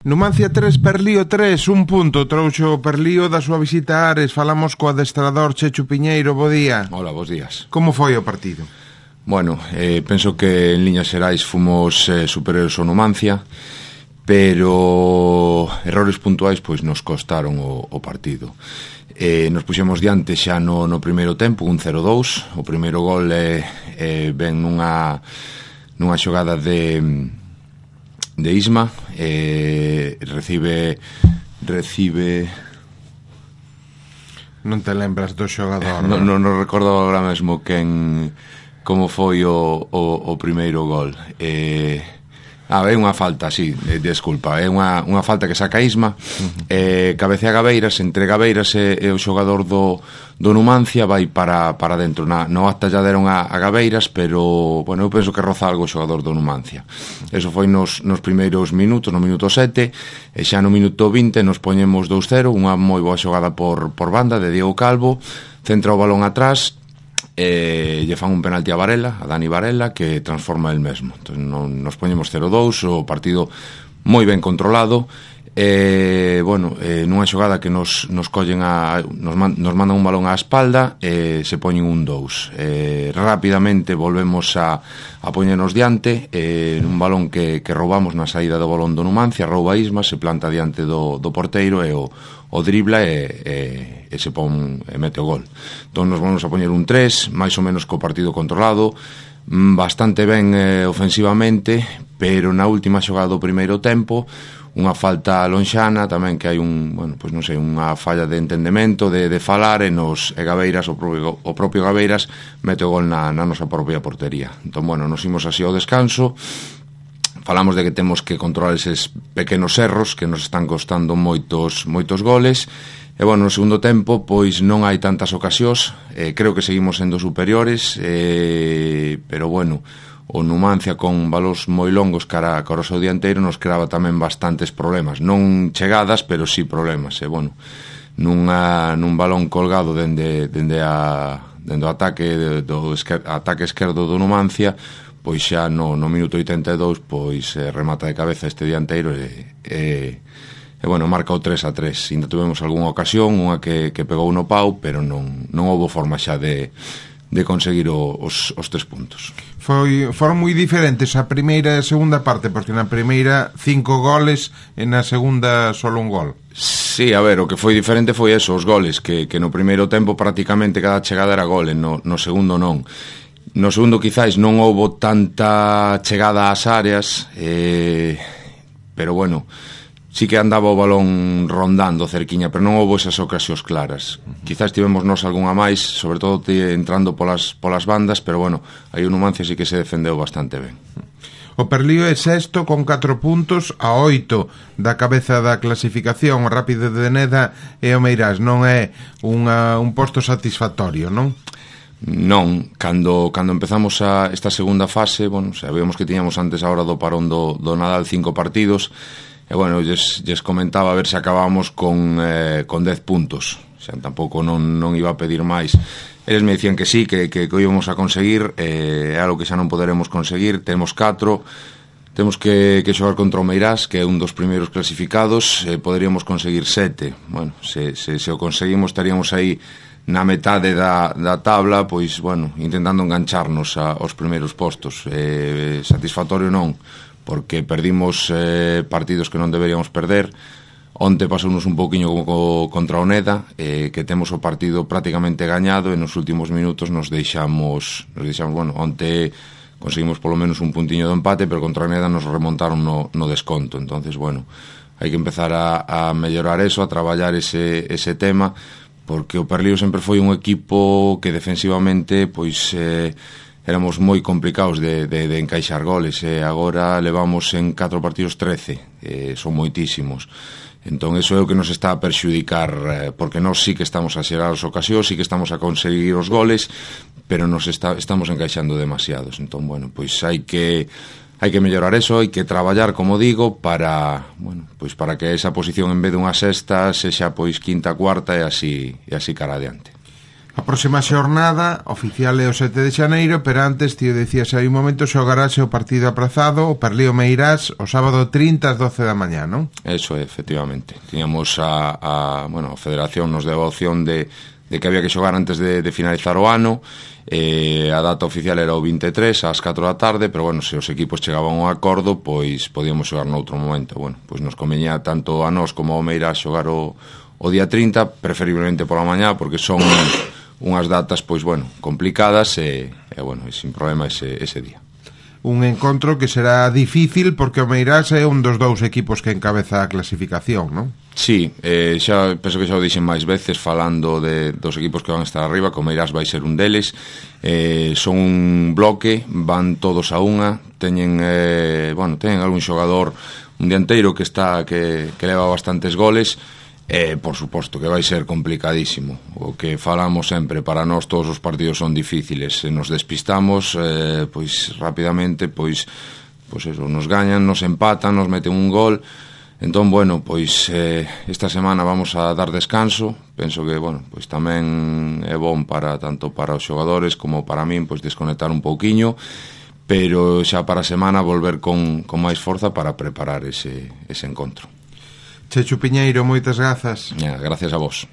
Numancia 3, Perlío 3, un punto trouxo o Perlío da súa visita a Ares. Falamos co adestrador Chechu Piñeiro, bo día. Hola, bos días. Como foi o partido? Bueno, penso que en liñas xerais fomos superiores ao Numancia, pero errores puntuais pois nos costaron o partido. Nos puxemos diante xa no primeiro tempo, un 0-2. O primeiro gol ven nunha xogada de Isma, recibe non te lembras do xogador? Non recordo agora mesmo como foi o primeiro gol. É unha falta, sí, desculpa, é unha falta que saca Isma, cabecea Gabeiras, entre Gabeiras e o xogador do Numancia vai para dentro. No acta ya deron a Gabeiras, pero, bueno, eu penso que roza algo o xogador do Numancia. Eso foi nos primeiros minutos, no minuto 7, e xa no minuto 20 nos poñemos 2-0, unha moi boa xogada por banda de Diego Calvo, centra o balón atrás, lle fan un penalti a Dani Varela, que transforma el mesmo. Entón, nos poñemos 0-2, o partido moi ben controlado. Nunha xogada que nos collen nos mandan un balón á espalda, se poñen un 2. Rapidamente volvemos a poñernos diante, un balón que roubamos na saída do balón do Numancia, rouba Isma, se planta diante do porteiro e o dribla e se pon e mete o gol. Entón nos vamos a poñer un 3, máis ou menos co partido controlado, bastante ben ofensivamente, pero na última xogada do primeiro tempo unha falta lonxana tamén, que hai unha falla de entendemento, de falar, e Gabeiras, o propio Gabeiras mete o gol na nosa propia portería. Entón, nos imos así ao descanso. Falamos de que temos que controlar eses pequenos erros que nos están costando moitos goles. E, no segundo tempo, pois non hai tantas ocasións, creo que seguimos sendo superiores, pero, o Numancia con balóns moi longos cara ao seu dianteiro nos creaba tamén bastantes problemas, non chegadas, pero sí problemas. Nun balón colgado dende o ataque ataque esquerdo do Numancia, pois xa no minuto 82 pois remata de cabeza este dianteiro e marca o 3-3. Ainda tuvemos algunha ocasión, unha que pegou no pau, pero non houbo forma xa de conseguir os 3 puntos. Foron moi diferentes a primeira e a segunda parte, porque na primeira 5 goles e na segunda solo un gol. Sí, a ver, o que foi diferente foi eso, os goles, que no primeiro tempo prácticamente cada chegada era gol, no segundo non. No segundo quizáis non houbo tanta chegada ás áreas, pero sí que andaba o balón rondando cerquiña, pero non houbo esas ocasións claras. Quizás tivemos nós algunha máis, sobre todo entrando polas bandas, pero aí o Numancia sí que se defendeu bastante ben. O Perlío é sexto con 4 puntos a 8 da cabeza da clasificación. O Rápido de Neda e o Meirás non é un posto satisfactorio, non? Non, cando empezamos esta segunda fase, sabíamos que tiñamos antes a hora do parón do Nadal 5 partidos, e lles comentaba a ver se acabábamos con 10 puntos. Xa tampouco non iba a pedir máis. Eles me dicían que sí, que o íbamos a conseguir, é algo que xa non poderemos conseguir. Temos 4, temos que xogar contra o Meirás, que é un dos primeiros clasificados, poderíamos conseguir 7. Se o conseguimos estaríamos aí na metade da tabla, pois, intentando engancharnos aos primeiros postos. Satisfactorio non, porque perdimos partidos que non deberíamos perder. Onte pasounos un pouquiño contra o Neda, que temos o partido prácticamente gañado, e nos últimos minutos nos deixamos, onte conseguimos polo menos un puntiño do empate, pero contra o Neda nos remontaron no desconto. Entonces, hai que empezar a mellorar eso, a traballar ese tema, porque o Perlío sempre foi un equipo que defensivamente pois éramos moi complicados de encaixar goles, e agora levamos en 4 partidos 13, son moitísimos. Entón, eso é o que nos está a perxudicar, porque nós sí que estamos a xerar as ocasións, sí que estamos a conseguir os goles, pero nos estamos encaixando demasiados. Entón, pois hai que mellorar eso, hai que traballar, como digo, para que esa posición, en vez de unha sexta, sexa pois quinta, cuarta, e así cara adiante. A próxima xornada oficial é o 7 de xaneiro, pero antes, tío, decías aí un momento, xogarase o partido aprazado, o Parlío Meirás, o sábado 30 ás 12 da mañá, non? Eso é, efectivamente. Tiñamos a Federación nos deu a opción de que había que xogar antes de finalizar o ano. A data oficial era o 23 ás 4 da tarde, pero bueno, se os equipos chegaban a un acordo, pois podíamos xogar noutro momento. Bueno, pois nos convenía tanto a nós como ao Meirás xogar o día 30, preferiblemente pola mañá, porque son unhas datas, pois, bueno, complicadas e bueno, e sin problema ese día. Un encontro que será difícil porque o Meirás é un dos dous equipos que encabeza a clasificación, non? Sí, xa penso que xa o dixen máis veces falando dos equipos que van a estar arriba, que o Meirás vai ser un deles. Son un bloque, van todos a unha, teñen algún xogador, un dianteiro que leva bastantes goles. Por suposto que vai ser complicadísimo. O que falamos sempre, para nós todos os partidos son difíciles. Se nos despistamos, pois rapidamente, pois eso, nos gañan, nos empatan, nos meten un gol. Entón, bueno, pois esta semana vamos a dar descanso. Penso que, bueno, pois tamén é bon tanto para os xogadores como para min, pois desconectar un pouquiño, pero xa para a semana volver con máis forza para preparar ese encontro. Chechu Piñeiro, moitas grazas. Gracias a vos.